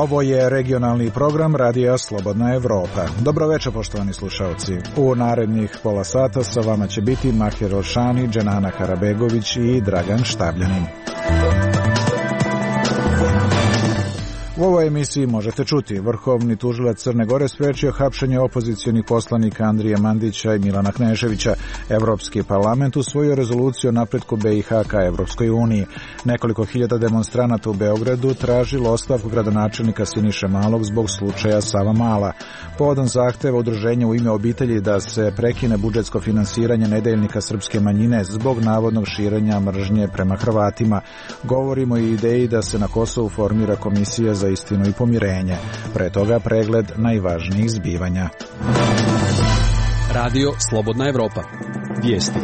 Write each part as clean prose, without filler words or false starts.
Ovo je regionalni program Radija Slobodna Evropa. Dobro večer, poštovani slušalci. U narednih pola sata sa vama će biti Mahir Oršani, Dženana Karabegović i Dragan Štabljanin. U ovoj emisiji možete čuti: Vrhovni tužilac Crne Gore sprečio hapšenje opozicionih poslanika Andrije Mandića i Milana Kneževića. Evropski parlament usvojio rezoluciju o napretku BiH ka Evropskoj uniji. Nekoliko hiljada demonstranata u Beogradu tražilo ostavku gradonačelnika Siniše Malog zbog slučaja Savamala. Povodom zahteva udruženja U ime obitelji da se prekine budžetsko finansiranje nedeljnika srpske manjine zbog navodnog širenja mržnje prema Hrvatima. Govorimo i ideji da se na Kosovu formira komisija za istinu i pomirenje. Pre toga pregled najvažnijih zbivanja. Radio Slobodna Evropa. Vijesti.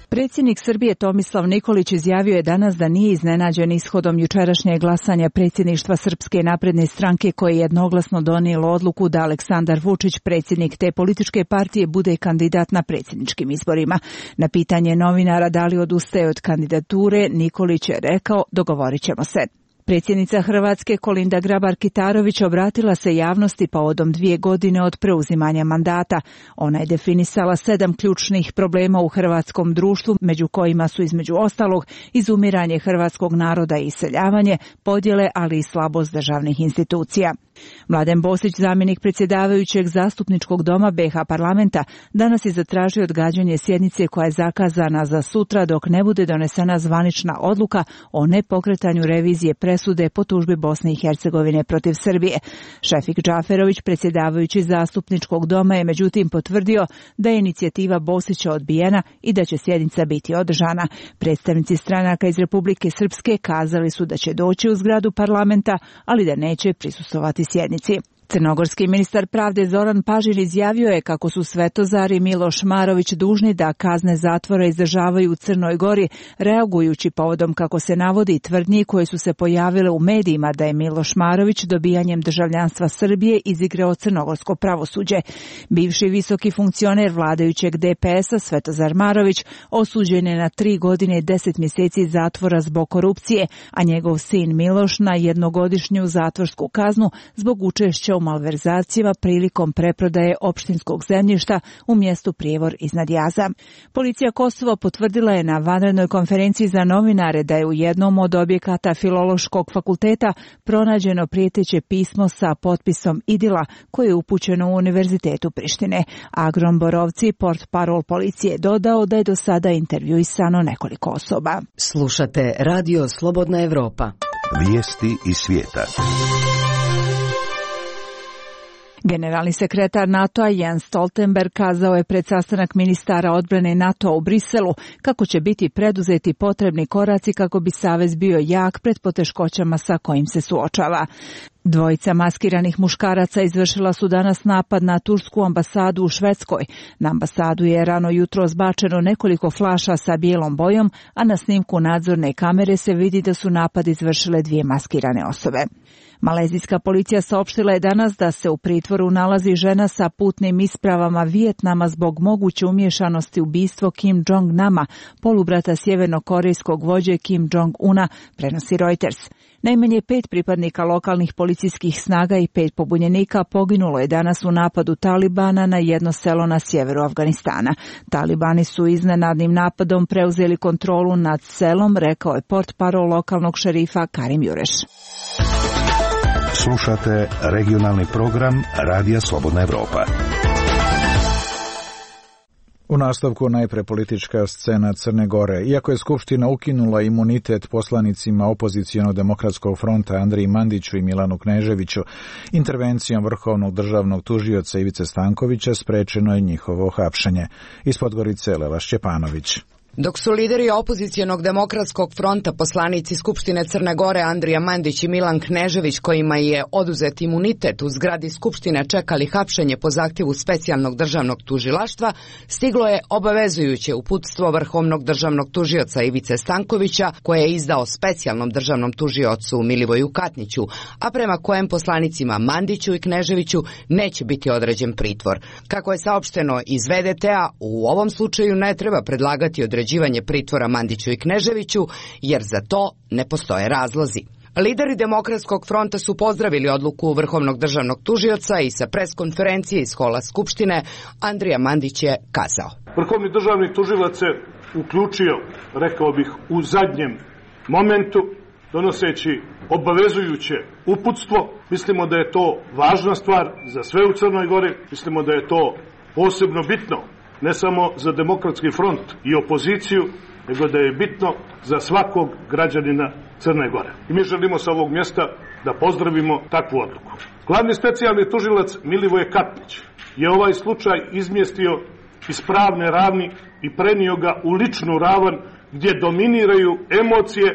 Predsjednik Srbije Tomislav Nikolić izjavio je danas da nije iznenađen ishodom jučerašnjeg glasanja predsjedništva Srpske napredne stranke koje je jednoglasno donijelo odluku da Aleksandar Vučić, predsjednik te političke partije, bude kandidat na predsjedničkim izborima. Na pitanje novinara da li odustaje od kandidature, Nikolić je rekao: dogovorit ćemo se. Predsjednica Hrvatske Kolinda Grabar-Kitarović obratila se javnosti povodom 2 godine od preuzimanja mandata. Ona je definisala 7 ključnih problema u hrvatskom društvu, među kojima su između ostalog izumiranje hrvatskog naroda i iseljavanje, podjele, ali i slabost državnih institucija. Mladen Bosić, zamjenik predsjedavajućeg Zastupničkog doma BiH parlamenta, danas je zatražio odgađanje sjednice koja je zakazana za sutra dok ne bude donesena zvanična odluka o nepokretanju revizije presude po tužbi Bosne i Hercegovine protiv Srbije. Šefik Džaferović, predsjedavajući Zastupničkog doma, je međutim potvrdio da je inicijativa Bosića odbijena i da će sjednica biti održana. Predstavnici stranaka iz Republike Srpske kazali su da će doći u zgradu parlamenta, ali da neće prisustvovati sjednici. Crnogorski ministar pravde Zoran Pažir izjavio je kako su Svetozar i Miloš Marović dužni da kazne zatvora izdržavaju u Crnoj Gori, reagujući povodom, kako se navodi, tvrdnji koje su se pojavile u medijima da je Miloš Marović dobijanjem državljanstva Srbije izigrao crnogorsko pravosuđe. Bivši visoki funkcioner vladajućeg DPS-a Svetozar Marović osuđen je na 3 godine i 10 mjeseci zatvora zbog korupcije, a njegov sin Miloš na 1-godišnju zatvorsku kaznu zbog učešća u malverzacijama prilikom preprodaje opštinskog zemljišta u mjestu Prijevor iznad Jaza. Policija Kosova potvrdila je na vanrednoj konferenciji za novinare da je u jednom od objekata Filološkog fakulteta pronađeno prijeteće pismo sa potpisom idila koje je upućeno u Univerzitetu Prištine. Agron Borovci, portparol policije, dodao da je do sada intervjuisano nekoliko osoba. Slušate Radio Slobodna Evropa. Vijesti iz svijeta. Generalni sekretar NATO-a Jens Stoltenberg kazao je pred sastanak ministara odbrane NATO-a u Briselu kako će biti preduzeti potrebni koraci kako bi savez bio jak pred poteškoćama sa kojim se suočava. Dvojica maskiranih muškaraca izvršila su danas napad na tursku ambasadu u Švedskoj. Na ambasadu je rano jutro zbačeno nekoliko flaša sa bijelom bojom, a na snimku nadzorne kamere se vidi da su napad izvršile 2 maskirane osobe. Malezijska policija saopštila je danas da se u pritvoru nalazi žena sa putnim ispravama Vijetnama zbog moguće umiješanosti u ubistvo Kim Jong-nama, polubrata sjevernokorejskog vođe Kim Jong-una, prenosi Reuters. Najmanje 5 pripadnika lokalnih policijskih snaga i 5 pobunjenika poginulo je danas u napadu Talibana na jedno selo na sjeveru Afganistana. Talibani su iznenadnim napadom preuzeli kontrolu nad selom, rekao je portparol lokalnog šerifa Karim Jureš. Slušate regionalni program Radija Slobodna Evropa. U nastavku najpre politička scena Crne Gore. Iako je Skupština ukinula imunitet poslanicima opozicionog demokratskog fronta Andriji Mandiću i Milanu Kneževiću, intervencijom Vrhovnog državnog tužioca Ivice Stankovića sprečeno je njihovo hapšenje. Iz Podgorice Lela Šćepanović. Dok su lideri opozicionog demokratskog fronta, poslanici Skupštine Crne Gore Andrija Mandić i Milan Knežević, kojima je oduzet imunitet, u zgradi Skupštine čekali hapšenje po zahtjevu specijalnog državnog tužilaštva, stiglo je obavezujuće uputstvo Vrhovnog državnog tužioca Ivice Stankovića, koje je izdao specijalnom državnom tužiocu Milivoju Katniću, a prema kojem poslanicima Mandiću i Kneževiću neće biti određen pritvor. Kako je saopšteno iz VDT-a, u ovom slučaju ne treba predlagati određenje određivanje pritvora Mandiću i Kneževiću, jer za to ne postoje razlozi. Lideri Demokratskog fronta su pozdravili odluku Vrhovnog državnog tužioca i sa preskonferencije iz hola Skupštine Andrija Mandić je kazao: Vrhovni državni tužilac se uključio, rekao bih, u zadnjem momentu, donoseći obavezujuće uputstvo. Mislimo da je to važna stvar za sve u Crnoj Gori, mislimo da je to posebno bitno, ne samo za Demokratski front i opoziciju, nego da je bitno za svakog građanina Crne Gore. I mi želimo sa ovog mjesta da pozdravimo takvu odluku. Glavni specijalni tužilac Milivoje Katnić je ovaj slučaj izmjestio iz pravne ravni i prenio ga u ličnu ravan gdje dominiraju emocije,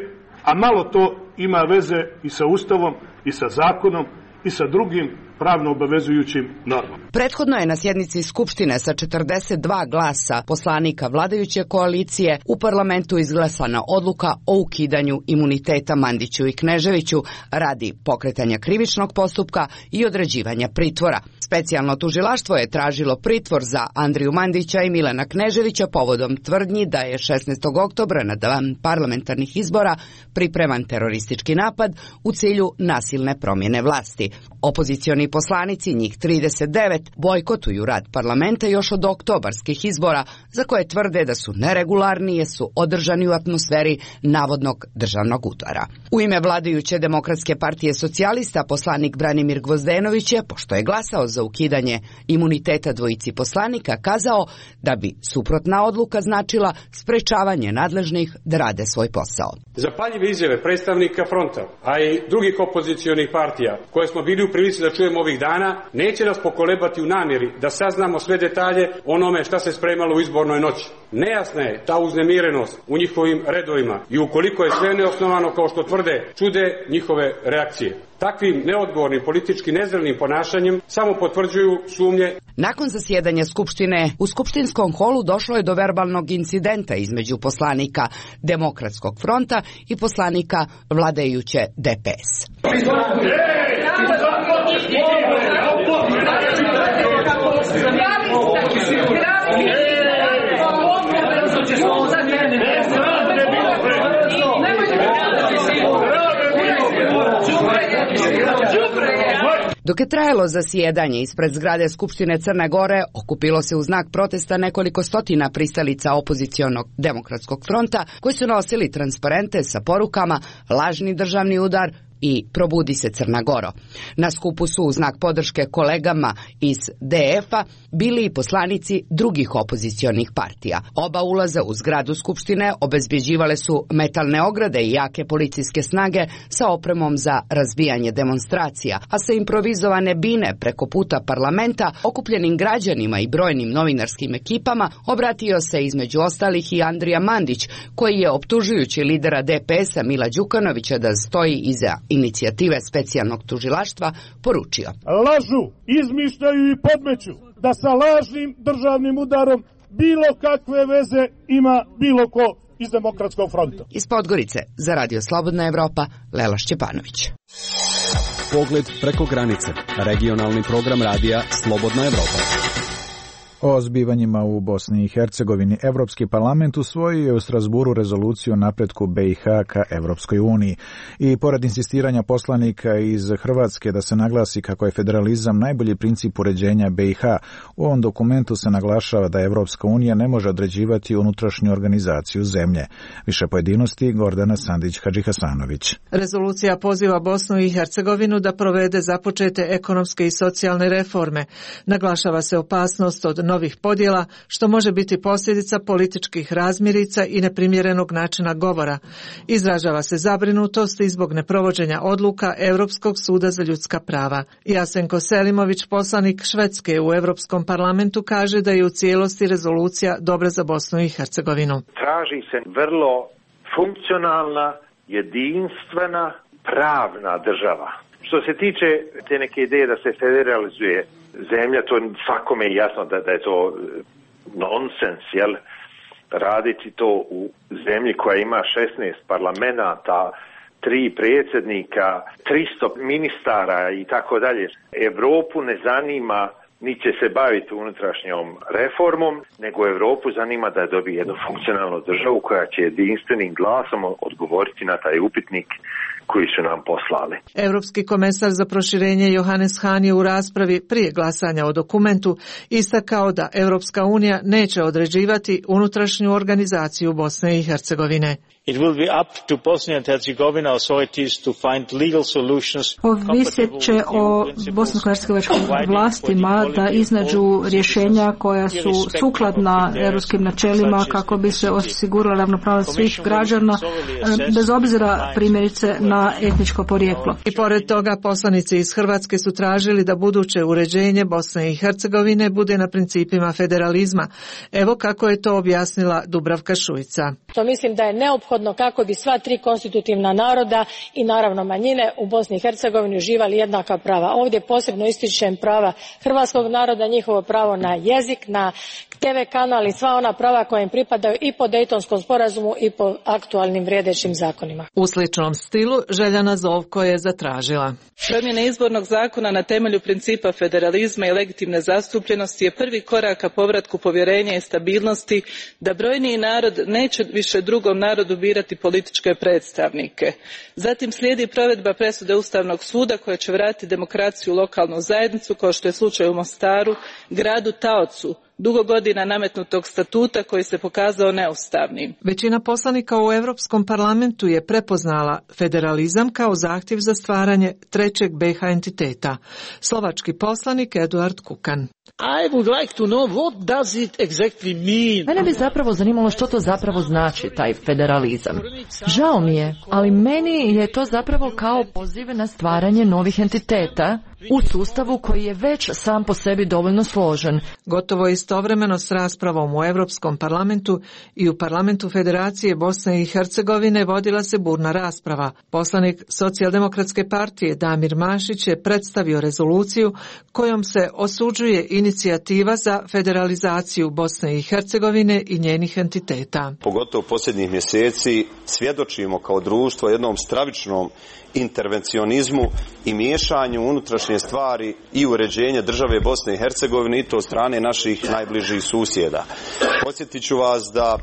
a malo to ima veze i sa Ustavom i sa zakonom i sa drugim pravno obavezujućim normama. Prethodno je na sjednici Skupštine sa 42 glasa poslanika vladajuće koalicije u parlamentu izglasana odluka o ukidanju imuniteta Mandiću i Kneževiću radi pokretanja krivičnog postupka i određivanja pritvora. Specijalno tužilaštvo je tražilo pritvor za Andriju Mandića i Milana Kneževića povodom tvrdnji da je 16. oktobra na dan parlamentarnih izbora pripreman teroristički napad u cilju nasilne promjene vlasti. Opozicioni poslanici, njih 39, bojkotuju rad parlamenta još od oktobarskih izbora, za koje tvrde da su neregularni jer su održani u atmosferi navodnog državnog udara. U ime vladajuće Demokratske partije socijalista poslanik Branimir Gvozdenović je, pošto je glasao za ukidanje imuniteta dvojici poslanika, kazao da bi suprotna odluka značila sprečavanje nadležnih da rade svoj posao. Zapaljive izjave predstavnika fronta, a i drugih opozicionih partija koje smo bili u prilici da čujemo ovih dana, neće nas pokolebati u namjeri da saznamo sve detalje onome šta se spremalo u izbornoj noći. Nejasna je ta uznemirenost u njihovim redovima i ukoliko je sve neosnovano kao što tvrde, čude njihove reakcije. Takvim neodgovornim politički nezrelnim ponašanjem samo potvrđuju sumnje. Nakon zasjedanja Skupštine, u skupštinskom holu došlo je do verbalnog incidenta između poslanika Demokratskog fronta i poslanika vladajuće DPS. Dok je trajalo zasjedanje ispred zgrade Skupštine Crne Gore, okupilo se u znak protesta nekoliko stotina pristalica opozicionog Demokratskog fronta koji su nosili transparente sa porukama lažni državni udar i probudi se Crna Goro. Na skupu su u znak podrške kolegama iz DF-a bili i poslanici drugih opozicionih partija. Oba ulaza u zgradu Skupštine obezbjeđivale su metalne ograde i jake policijske snage sa opremom za razbijanje demonstracija, a sa improvizovane bine preko puta parlamenta okupljenim građanima i brojnim novinarskim ekipama obratio se između ostalih i Andrija Mandić, koji je optužujući lidera DPS-a Mila Đukanovića da stoji iza inicijative specijalnog tužilaštva poručio: lažu, izmišljaju i podmeću da sa lažnim državnim udarom bilo kakve veze ima bilo ko iz Demokratskog fronta. Iz Podgorice za Radio Slobodna Evropa, Lela Šćepanović. Pogled preko granice. Regionalni program radija Slobodna Evropa. O zbivanjima u Bosni i Hercegovini Evropski parlament usvojio je u Strasburu rezoluciju o napretku BiH ka Evropskoj uniji. I pored insistiranja poslanika iz Hrvatske da se naglasi kako je federalizam najbolji princip uređenja BiH, u ovom dokumentu se naglašava da Evropska unija ne može određivati unutrašnju organizaciju zemlje. Više pojedinosti Gordana Sandić-Hadžihasanović. Rezolucija poziva Bosnu i Hercegovinu da provede započete ekonomske i socijalne reforme. Naglašava se opasnost od novih podjela, što može biti posljedica političkih razmirica i neprimjerenog načina govora. Izražava se zabrinutost i zbog neprovođenja odluka Europskog suda za ljudska prava. Jasenko Selimović, poslanik Švedske u Europskom parlamentu, kaže da je u cijelosti rezolucija dobra za Bosnu i Hercegovinu. Traži se vrlo funkcionalna, jedinstvena, pravna država. Što se tiče te neke ideje da se federalizuje zemlja, to svakome je jasno da je to nonsens, jel? Raditi to u zemlji koja ima 16 parlamenata, 3 predsjednika, 300 ministara i tako dalje. Evropu ne zanima niti će se baviti unutrašnjom reformom, nego Europu zanima da dobije jednu funkcionalnu državu koja će jedinstvenim glasom odgovoriti na taj upitnik koji su nam poslali. Europski komesar za proširenje Johannes Hahn je u raspravi prije glasanja o dokumentu istakao da Europska unija neće određivati unutrašnju organizaciju Bosne i Hercegovine. It will be up to Bosnia and Herzegovina authorities to find legal solutions. Ovisit će o bosansko-hercegovačkim vlastima da iznađu rješenja koja su sukladna europskim načelima kako bi se osigurala ravnopravnost svih građana bez obzira primjerice na etničko porijeklo. I pored toga poslanici iz Hrvatske su tražili da buduće uređenje Bosne i Hercegovine bude na principima federalizma. Evo kako je to objasnila Dubravka Šuica. To mislim da je neophodno kako bi sva tri konstitutivna naroda i naravno manjine u Bosni i Hercegovini uživali jednaka prava. Ovdje posebno ističem prava hrvatskog naroda, njihovo pravo na jezik, na TV kanal i sva ona prava koja im pripadaju i po Dejtonskom sporazumu i po aktualnim vrijedećim zakonima. U sličnom stilu Željana Zovko je zatražila. Promjene izbornog zakona na temelju principa federalizma i legitimne zastupljenosti je prvi korak ka povratku povjerenja i stabilnosti da brojniji narod neće više drugom narodu birati političke predstavnike. Zatim slijedi provedba presude Ustavnog suda koja će vratiti demokraciju u lokalnu zajednicu kao što je slučaj u Mostaru, gradu taocu dugo godina nametnutog statuta koji se pokazao neustavnim. Većina poslanika u Europskom parlamentu je prepoznala federalizam kao zahtjev za stvaranje trećeg BiH entiteta. Slovački poslanik Eduard Kukan. I would like to know what does it exactly mean. Mene bi zapravo zanimalo što to zapravo znači, taj federalizam. Žao mi je, ali meni je to zapravo kao poziv na stvaranje novih entiteta u sustavu koji je već sam po sebi dovoljno složen. Gotovo istovremeno s raspravom u Europskom parlamentu i u parlamentu Federacije Bosne i Hercegovine vodila se burna rasprava. Poslanik Socijaldemokratske partije Damir Mašić je predstavio rezoluciju kojom se osuđuje inicijativa za federalizaciju Bosne i Hercegovine i njenih entiteta. Pogotovo posljednjih mjeseci svjedočimo kao društvo jednom stravičnom intervencionizmu i miješanju unutrašnje stvari i uređenja države Bosne i Hercegovine i to od strane naših najbližih susjeda. Podsjetit ću vas da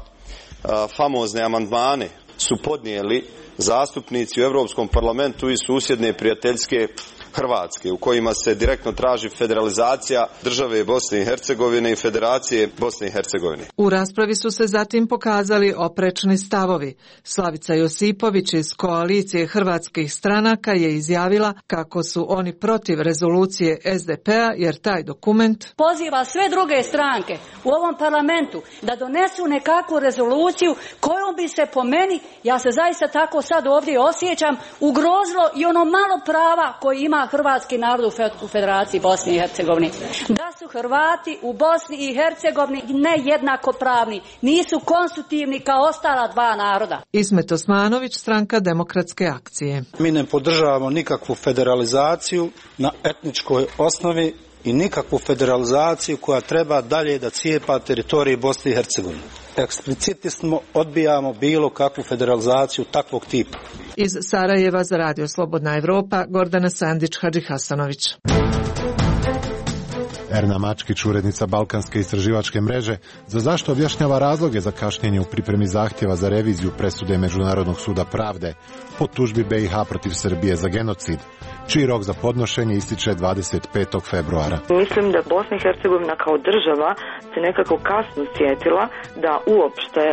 famozne amandmane su podnijeli zastupnici u Europskom parlamentu iz susjedne prijateljske Hrvatske, u kojima se direktno traži federalizacija države Bosne i Hercegovine i Federacije Bosne i Hercegovine. U raspravi su se zatim pokazali oprečni stavovi. Slavica Josipović iz koalicije hrvatskih stranaka je izjavila kako su oni protiv rezolucije SDP-a jer taj dokument poziva sve druge stranke u ovom parlamentu da donesu nekakvu rezoluciju kojom bi se po meni, ja se zaista tako sad ovdje osjećam, ugrozilo i ono malo prava koji ima hrvatski narod u Federaciji Bosne i Hercegovine. Da su Hrvati u Bosni i Hercegovini ne jednakopravni, nisu konstitutivni kao ostala dva naroda. Ismet Osmanović, stranka Demokratske akcije. Mi ne podržavamo nikakvu federalizaciju na etničkoj osnovi i nikakvu federalizaciju koja treba dalje da cijepa teritoriji Bosne i Hercegovine. Eksplicitno odbijamo bilo kakvu federalizaciju takvog tipa. Iz Sarajeva za Radio Slobodna Evropa, Gordana Sandić Hasanović. Erna Mačkić, urednica Balkanske istraživačke mreže, za zašto objašnjava razloge za kašnjenje u pripremi zahtjeva za reviziju presude Međunarodnog suda pravde po tužbi BiH protiv Srbije za genocid, čiji rok za podnošenje ističe 25. februara. Mislim da Bosna i Hercegovina kao država se nekako kasno sjetila da uopšte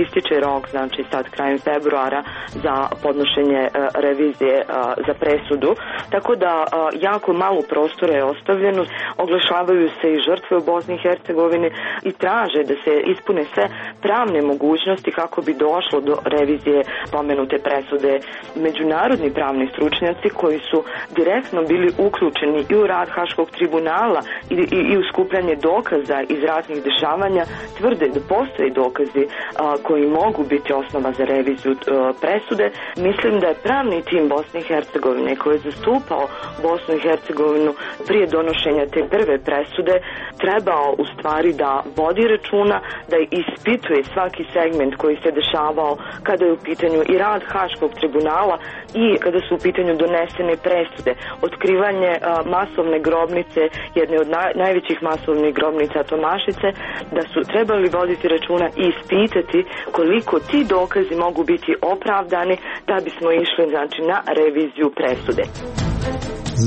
ističe rok, znači sad krajem februara, za podnošenje revizije za presudu, tako da jako malo prostora je ostavljeno. Oglašavaju se i žrtve u Bosni i Hercegovini i traže da se ispune sve pravne mogućnosti kako bi došlo do revizije pomenute presude. Međunarodni pravni stručnjaci koji su direktno bili uključeni i u rad Haškog tribunala i u skupljanje dokaza iz ratnih dešavanja tvrde da postoje dokazi koji mogu biti osnova za reviziju presude. Mislim da je pravni tim Bosne i Hercegovine koji je zastupao Bosnu i Hercegovinu prije donošenja te prve presude trebao u stvari da vodi računa, da ispituje svaki segment koji se dešavao kada je u pitanju i rad Haškog tribunala i kada su u pitanju donesene presude, otkrivanje masovne grobnice, jedne od najvećih masovnih grobnica Tomašice, da su trebali voditi računa i ispitati koliko ti dokazi mogu biti opravdani da bismo išli znači na reviziju presude.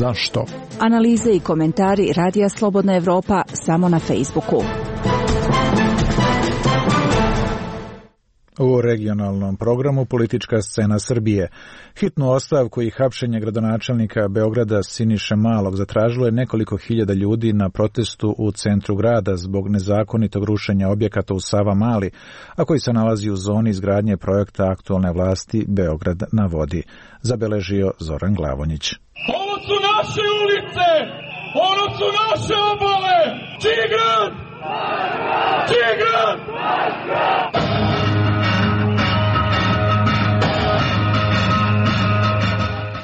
Zašto? Analize i komentari Radija Slobodna Evropa samo na Facebooku. U regionalnom programu Politička scena Srbije. Hitnu ostavku i hapšenje gradonačelnika Beograda Siniše Malog zatražilo je nekoliko hiljada ljudi na protestu u centru grada zbog nezakonitog rušenja objekata u Savamali, a koji se nalazi u zoni izgradnje projekta aktualne vlasti Beograd na vodi, zabeležio Zoran Glavonjić. Ovo su naše ulice, ovo su naše obale. Čiji grad? Čiji grad?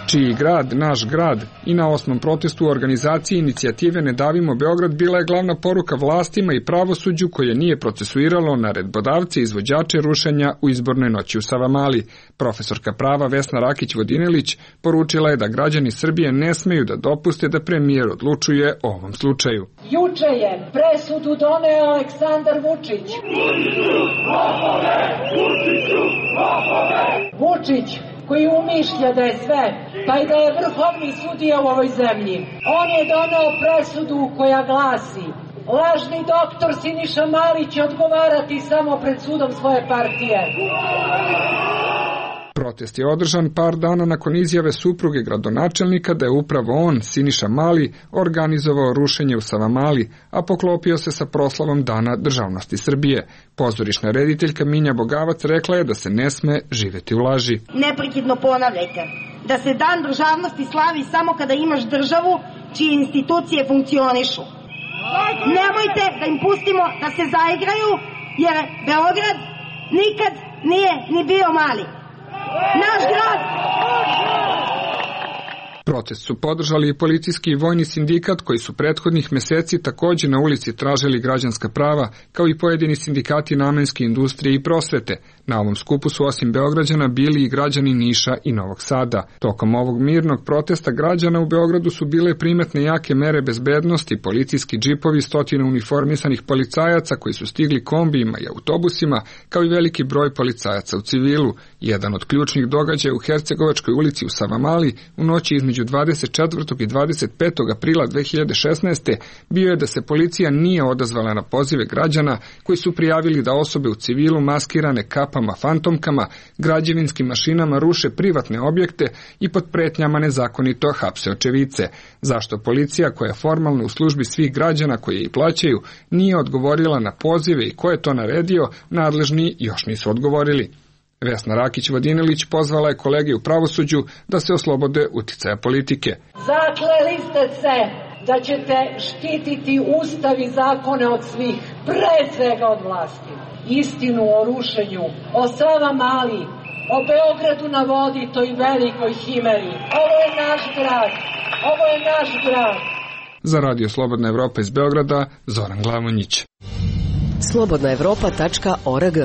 Čiji grad, naš grad, i na 8. protestu u organizaciji inicijative Ne davimo Beograd bila je glavna poruka vlastima i pravosuđu koje nije procesuiralo naredbodavce i izvođače rušenja u izbornoj noći u Savamali. Profesorka prava Vesna Rakić-Vodinelić poručila je da građani Srbije ne smeju da dopuste da premijer odlučuje o ovom slučaju. Juče je presudu doneo Aleksandar Vučić. Vučić koji umišlja da je sve, pa i da je vrhovni sudija u ovoj zemlji. On je doneo presudu koja glasi: lažni doktor Siniša Mali će odgovarati samo pred sudom svoje partije. Protest je održan par dana nakon izjave supruge gradonačelnika da je upravo on, Siniša Mali, organizovao rušenje u Savamali, a poklopio se sa proslavom Dana državnosti Srbije. Pozorišna rediteljka Minja Bogavac rekla je da se ne sme živeti u laži. Neprekidno ponavljajte da se Dan državnosti slavi samo kada imaš državu čije institucije funkcionišu. Nemojte da im pustimo da se zaigraju, jer Beograd nikad nije ni bio mali. Naš grad! Protest su podržali i policijski i vojni sindikat koji su prethodnih meseci također na ulici tražili građanska prava, kao i pojedini sindikati namenske industrije i prosvete. Na ovom skupu su osim Beograđana bili i građani Niša i Novog Sada. Tokom ovog mirnog protesta građana u Beogradu su bile primetne jake mere bezbednosti, policijski džipovi, stotine uniformisanih policajaca koji su stigli kombijima i autobusima, kao i veliki broj policajaca u civilu. Jedan od ključnih događaja u Hercegovačkoj ulici u Savamali u noći između 24. i 25. aprila 2016. bio je da se policija nije odazvala na pozive građana koji su prijavili da osobe u civilu maskirane kapama fantomkama, građevinskim mašinama ruše privatne objekte i pod pretnjama nezakonito hapse očevice. Zašto policija, koja je formalno u službi svih građana koji je i plaćaju, nije odgovorila na pozive i ko je to naredio, nadležni još nisu odgovorili. Vesna Rakić-Vodinelić pozvala je kolege u pravosuđu da se oslobode uticaja politike. Zakleli ste se da ćete štititi ustav i zakone od svih, pre svega od vlasti. Istinu o rušenju, o Savamali, o Beogradu na vodi, toj velikoj himeri. Ovo je naš grad, ovo je naš grad. Za Radio Slobodna Evropa iz Beograda, Zoran Glavonjić. slobodnaevropa.org.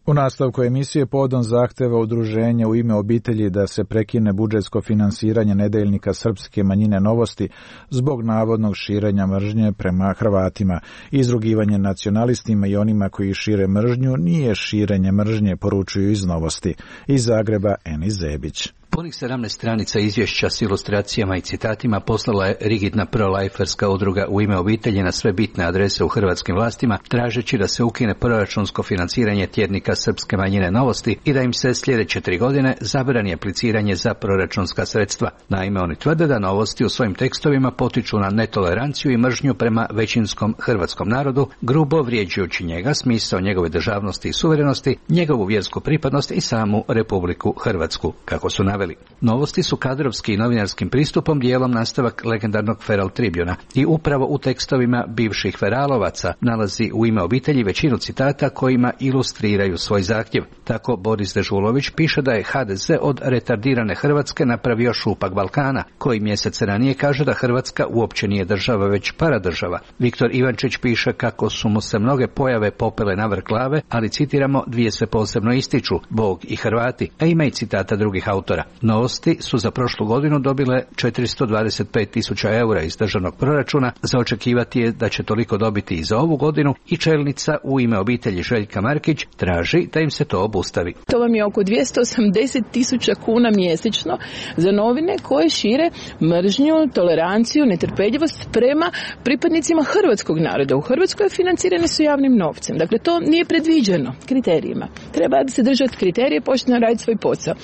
U nastavku emisije povodom zahteva udruženja U ime obitelji da se prekine budžetsko finansiranje nedeljnika srpske manjine Novosti zbog navodnog širenja mržnje prema Hrvatima. Izrugivanje nacionalistima i onima koji šire mržnju nije širenje mržnje, poručuju iz Novosti. Iz Zagreba Eni Zebić. Punih 17 stranica izvješća s ilustracijama i citatima poslala je rigidna pro-lajferska udruga U ime obitelji na sve bitne adrese u hrvatskim vlastima, tražeći da se ukine proračunsko financiranje tjednika srpske manjine Novosti i da im se sljedeće 3 godine zabrani apliciranje za proračunska sredstva. Naime, oni tvrde da Novosti u svojim tekstovima potiču na netoleranciju i mržnju prema većinskom hrvatskom narodu, grubo vrijeđajući njega, smisao njegove državnosti i suverenosti, njegovu vjersku pripadnost i samu Republiku Hrvatsku. Kako su naveli naveli. Novosti su kadrovski i novinarskim pristupom dijelom nastavak legendarnog Feral Tribuna i upravo u tekstovima bivših feralovaca nalazi u Ime obitelji većinu citata kojima ilustriraju svoj zahtjev. Tako Boris Dežulović piše da je HDZ od retardirane Hrvatske napravio šupak Balkana, koji mjesec ranije kaže da Hrvatska uopće nije država već paradržava. Viktor Ivančić piše kako su mu se mnoge pojave popele na vrh glave, ali citiramo, dvije se posebno ističu, Bog i Hrvati, a ima i citata drugih autora. Novosti su za prošlu godinu dobile 425.000 eura iz državnog proračuna, za očekivati je da će toliko dobiti i za ovu godinu i čelnica u Ime obitelji Željka Markić traži da im se to obustavi. To vam je oko 280.000 kuna mjesečno za novine koje šire mržnju, toleranciju, netrpeljivost prema pripadnicima hrvatskog naroda. U Hrvatskoj financirane su javnim novcem. Dakle, to nije predviđeno kriterijima. Treba se držati kriterije, počne raditi svoj posao.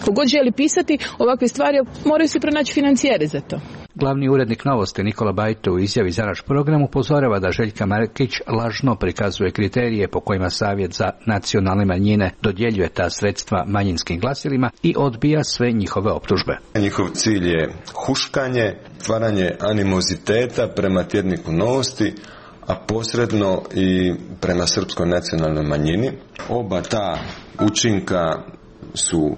Kogod želi pisati ovakve stvari, moraju se pronaći financijere za to. Glavni urednik Novosti Nikola Bajto u izjavi za naš program upozorava da Željka Markić lažno prikazuje kriterije po kojima Savjet za nacionalne manjine dodjeljuje ta sredstva manjinskim glasilima i odbija sve njihove optužbe. Njihov cilj je huškanje, stvaranje animoziteta prema tjedniku Novosti, a posredno i prema srpskoj nacionalnoj manjini. Oba ta učinka su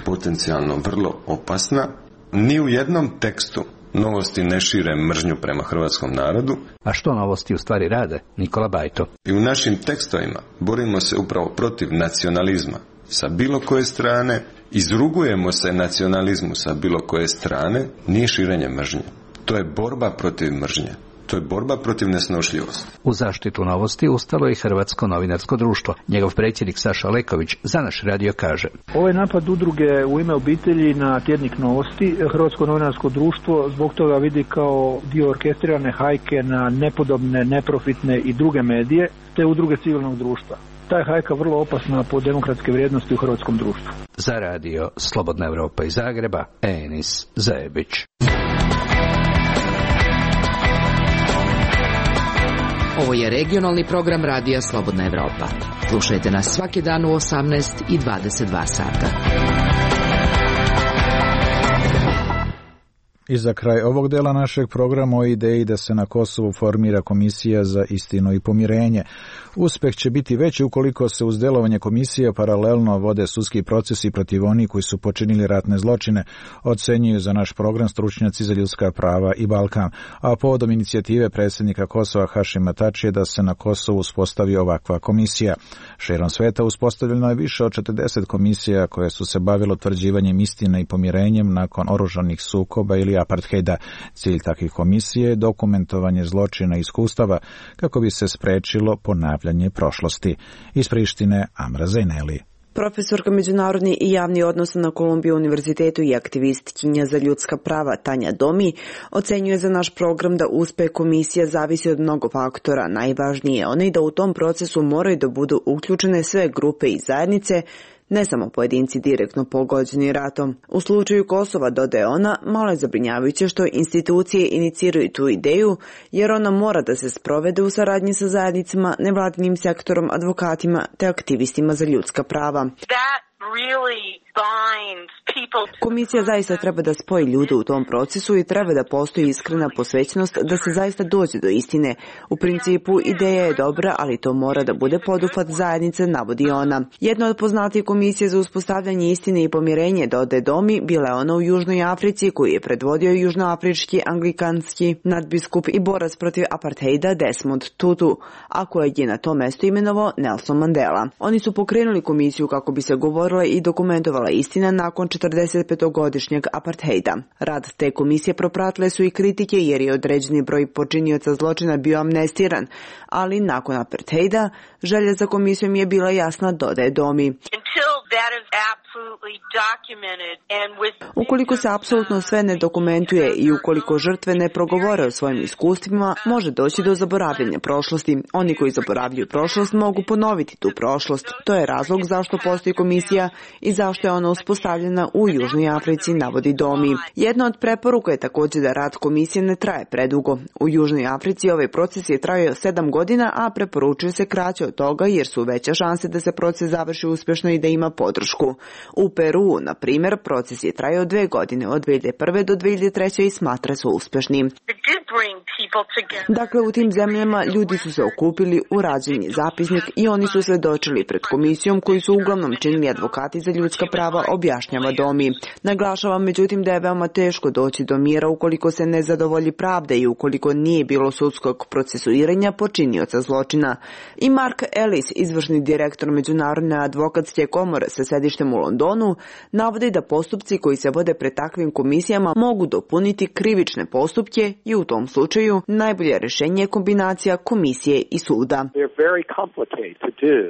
potencijalno vrlo opasna. Ni u jednom tekstu Novosti ne šire mržnju prema hrvatskom narodu. A što Novosti u stvari rade? Nikola Bajto. I u našim tekstovima borimo se upravo protiv nacionalizma sa bilo koje strane, izrugujemo se nacionalizmu sa bilo koje strane, nije širenje mržnje. To je borba protiv mržnje. To je borba protiv nesnošljivosti. U zaštitu Novosti ustalo je i Hrvatsko novinarsko društvo. Njegov predsjednik Saša Leković za naš radio kaže: Ovaj napad udruge U Ime obitelji na tjednik Novosti, Hrvatsko novinarsko društvo zbog toga vidi kao dio orkestrirane hajke na nepodobne, neprofitne i druge medije, te udruge civilnog društva. Ta je hajka vrlo opasna po demokratske vrijednosti u hrvatskom društvu. Za radio Slobodna Evropa iz Zagreba, Enis Zajebić. Ovo je regionalni program radija Slobodna Evropa. Slušajte nas svaki dan u 18 i 22 sata. I za kraj ovog dela našeg programa o ideji da se na Kosovu formira komisija za istinu i pomirenje. Uspeh će biti veći ukoliko se uz delovanje komisije paralelno vode sudski procesi protiv onih koji su počinili ratne zločine, ocenjuju za naš program stručnjaci za ljudska prava i Balkan, a povodom inicijative predsjednika Kosova Hašima Tačija da se na Kosovu uspostavi ovakva komisija. Širom sveta uspostavljeno je više od 40 komisija koje su se bavile utvrđivanjem istine i pomirenjem nakon oružanih sukoba ili apartheida. Cilj takvih komisije je dokumentovanje zločina i iskustava kako bi se sprečilo ponavljanje prošlosti. Iz Prištine, Amra Zajneli. Profesorka međunarodni i javni odnosa na Kolumbiju univerzitetu i aktivistkinja za ljudska prava Tanja Domi ocenjuje za naš program da uspeh komisija zavisi od mnogo faktora. Najvažnije je onaj da u tom procesu moraju da budu uključene sve grupe i zajednice, ne samo pojedinci direktno pogođeni ratom. U slučaju Kosova, dodaje ona, malo je zabrinjavajuće što institucije iniciraju tu ideju, jer ona mora da se sprovede u saradnji sa zajednicama, nevladinim sektorom, advokatima te aktivistima za ljudska prava. Komisija zaista treba da spoji ljude u tom procesu i treba da postoji iskrena posvećenost da se zaista dođe do istine. U principu ideja je dobra, ali to mora da bude poduhvat zajednice, navodi ona. Jedna od poznatih komisije za uspostavljanje istine i pomirenje, dodaje Domi, bila je ona u Južnoj Africi koju je predvodio južnoafrički anglikanski nadbiskup i borac protiv apartheida Desmond Tutu, a kojeg je na to mesto imenovao Nelson Mandela. Oni su pokrenuli komisiju kako bi se govorila i dokumentovala istina nakon 45-godišnjeg apartheida. Rad te komisije propratile su i kritike jer je određeni broj počinioca zločina bio amnestiran, ali nakon apartheida želja za komisijom je bila jasna, dodaje Domi. Ukoliko se apsolutno sve ne dokumentuje i ukoliko žrtve ne progovore o svojim iskustvima, može doći do zaboravljanja prošlosti. Oni koji zaboravljaju prošlost mogu ponoviti tu prošlost. To je razlog zašto postoji komisija i zašto je ona uspostavljena u Južnoj Africi, navodi Domi. Jedna od preporuka je također da rad komisije ne traje predugo. U Južnoj Africi ovaj proces je trajao 7 godina, a preporučuje se kraće od toga jer su veće šanse da se proces završi uspješno i da ima podršku. U Peru, na primjer, proces je trajao 2 godine, od 2001. do 2003. i smatra se uspešnim. Dakle, u tim zemljama ljudi su se okupili, urađen je zapisnik i oni su svedočili pred komisijom koju su uglavnom činili advokati za ljudska prava, objašnjava Domi. Naglašava međutim da je veoma teško doći do mira ukoliko se ne zadovolji pravda i ukoliko nije bilo sudskog procesuiranja počinioca zločina. I Mark Ellis, izvršni direktor Međunarodne advokatske komore sa sedištem u Londonu, navodi da postupci koji se vode pred takvim komisijama mogu dopuniti krivične postupke i u tom slučaju najbolje rješenje je kombinacija komisije i suda.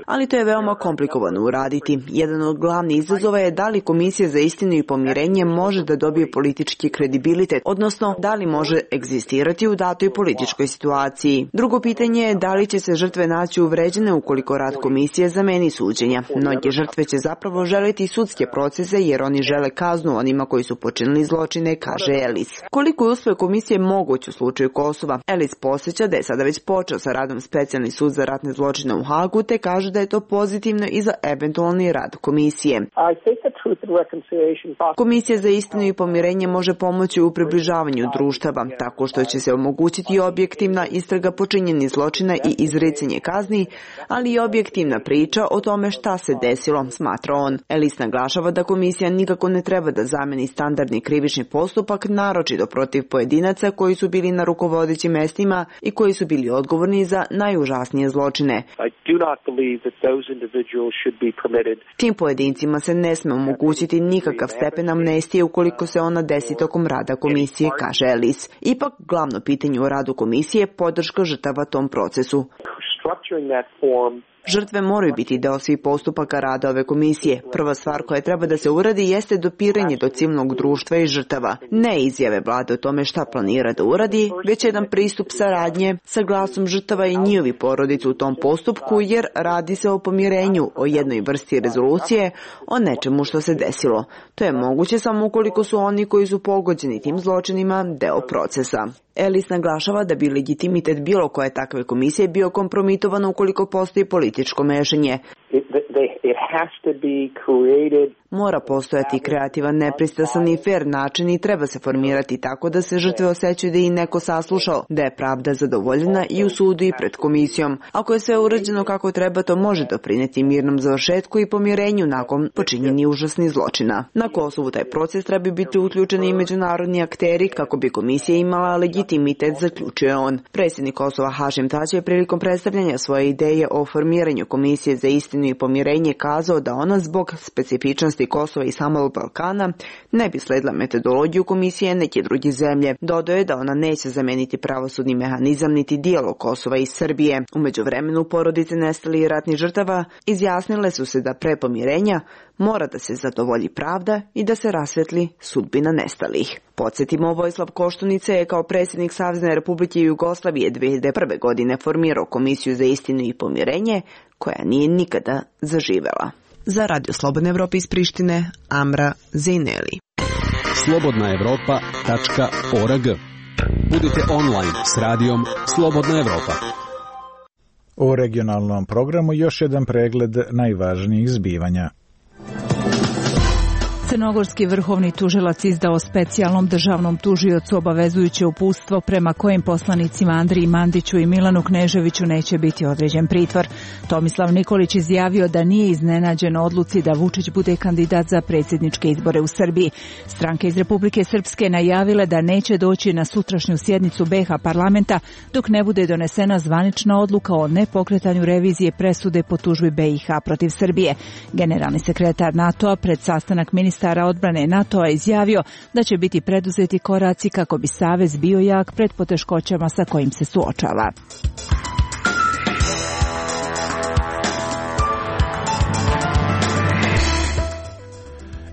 Ali to je veoma komplikovano uraditi. Jedan od glavnih izazova je da li Komisija za istinu i pomirenje može da dobije politički kredibilitet, odnosno da li može egzistirati u datoj političkoj situaciji. Drugo pitanje je da li će se žrtve naći uvređene ukoliko rad komisije zameni suđenja. Mnoge žrtve će zapravo želiti sudske procese jer oni žele kaznu onima koji su počinili zločine, kaže Ellis. Koliko je uspeh komisije moguć u slučaju Kosova? Ellis posjeća da je sada već počeo sa radom specijalni sud za ratne zločine u Hagu, te kaže da je to pozitivno i za eventualni rad komisije. Komisija za istinu i pomirenje može pomoći u približavanju društava, tako što će se omogućiti objektivna istraga počinjenih zločina i izricanje kazni, ali i objektivna priča o tome šta se desilo, smatra on. Ellis naglašava da komisija nikako ne treba da zameni standardni krivični postupak, naročito protiv pojedinaca koji su bili na rukovodećim mestima i koji su bili odgovorni za najužasnije zločine. Tim pojedincima se ne sme omogućiti nikakav stepen amnestije ukoliko se ona desi tokom rada komisije, kaže Ellis. Ipak, glavno pitanje u radu komisije je podrška žrtava tom procesu. Žrtve moraju biti deo svih postupaka rada ove komisije. Prva stvar koja treba da se uradi jeste dopiranje do civilnog društva i žrtava. Ne izjave vlade o tome šta planira da uradi, već jedan pristup saradnje sa glasom žrtava i njihovi porodica u tom postupku, jer radi se o pomirenju, o jednoj vrsti rezolucije, o nečemu što se desilo. To je moguće samo ukoliko su oni koji su pogođeni tim zločinima deo procesa. Ellis naglašava da bi legitimitet bilo koje takve komisije bio kompromitovan ukoliko postoji političko mešanje. Mora postojati kreativan, nepristrasan i fer način i treba se formirati tako da se žrtve osjećaju da ih neko saslušao, da je pravda zadovoljena i u sudu i pred komisijom. Ako je sve urađeno kako treba, to može doprineti mirnom završetku i pomirenju nakon počinjenih užasnih zločina. Na Kosovu taj proces treba biti uključeni i međunarodni akteri kako bi komisija imala legitimitet, zaključuje on. Predsjednik Kosova Hašim Tači je prilikom predstavljanja svoje ideje o formiranju Komisije za istinu i pomirenje kazao da ona zbog specifičnosti Kosova i samog Balkana ne bi sledila metodologiju komisije neke druge zemlje. Dodao je da ona neće zameniti pravosudni mehanizam niti dijalog Kosova i Srbije. U međuvremenu porodice nestalih ratnih žrtava izjasnile su se da pre pomirenja mora da se zadovolji pravda i da se rasvetli sudbina nestalih. Podsjetimo, Vojislav Koštunica je kao predsjednik Savezne Republike Jugoslavije 2001. godine formirao Komisiju za istinu i pomirenje, koja nije nikada zaživela. Za Radio Slobodne Evrope iz Prištine, Amra Zejneli. slobodnaevropa.org. Budite online s radijom Slobodna Evropa. U regionalnom programu još jedan pregled najvažnijih zbivanja. Crnogorski vrhovni tužilac izdao specijalnom državnom tužiocu obavezujuće uputstvo prema kojim poslanicima Andriji Mandiću i Milanu Kneževiću neće biti određen pritvor. Tomislav Nikolić izjavio da nije iznenađen odluci da Vučić bude kandidat za predsjedničke izbore u Srbiji. Stranke iz Republike Srpske najavile da neće doći na sutrašnju sjednicu BiH parlamenta dok ne bude donesena zvanična odluka o nepokretanju revizije presude po tužbi BiH protiv Srbije. Generalni sekretar NATO-a pred sastanak ministara odbrane NATO-a izjavio da će biti preduzeti koraci kako bi savez bio jak pred poteškoćama sa kojim se suočava.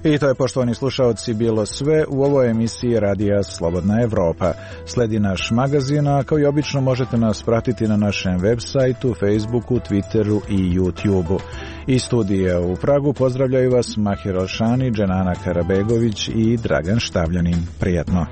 I to je, poštovani slušaoci, bilo sve u ovoj emisiji Radija Slobodna Evropa. Sledi naš magazin, a kao i obično možete nas pratiti na našem web sajtu, Facebooku, Twitteru i YouTubeu. Iz studija u Pragu pozdravljaju vas Mahir Alšani, Dženana Karabegović i Dragan Štavljanin. Prijatno.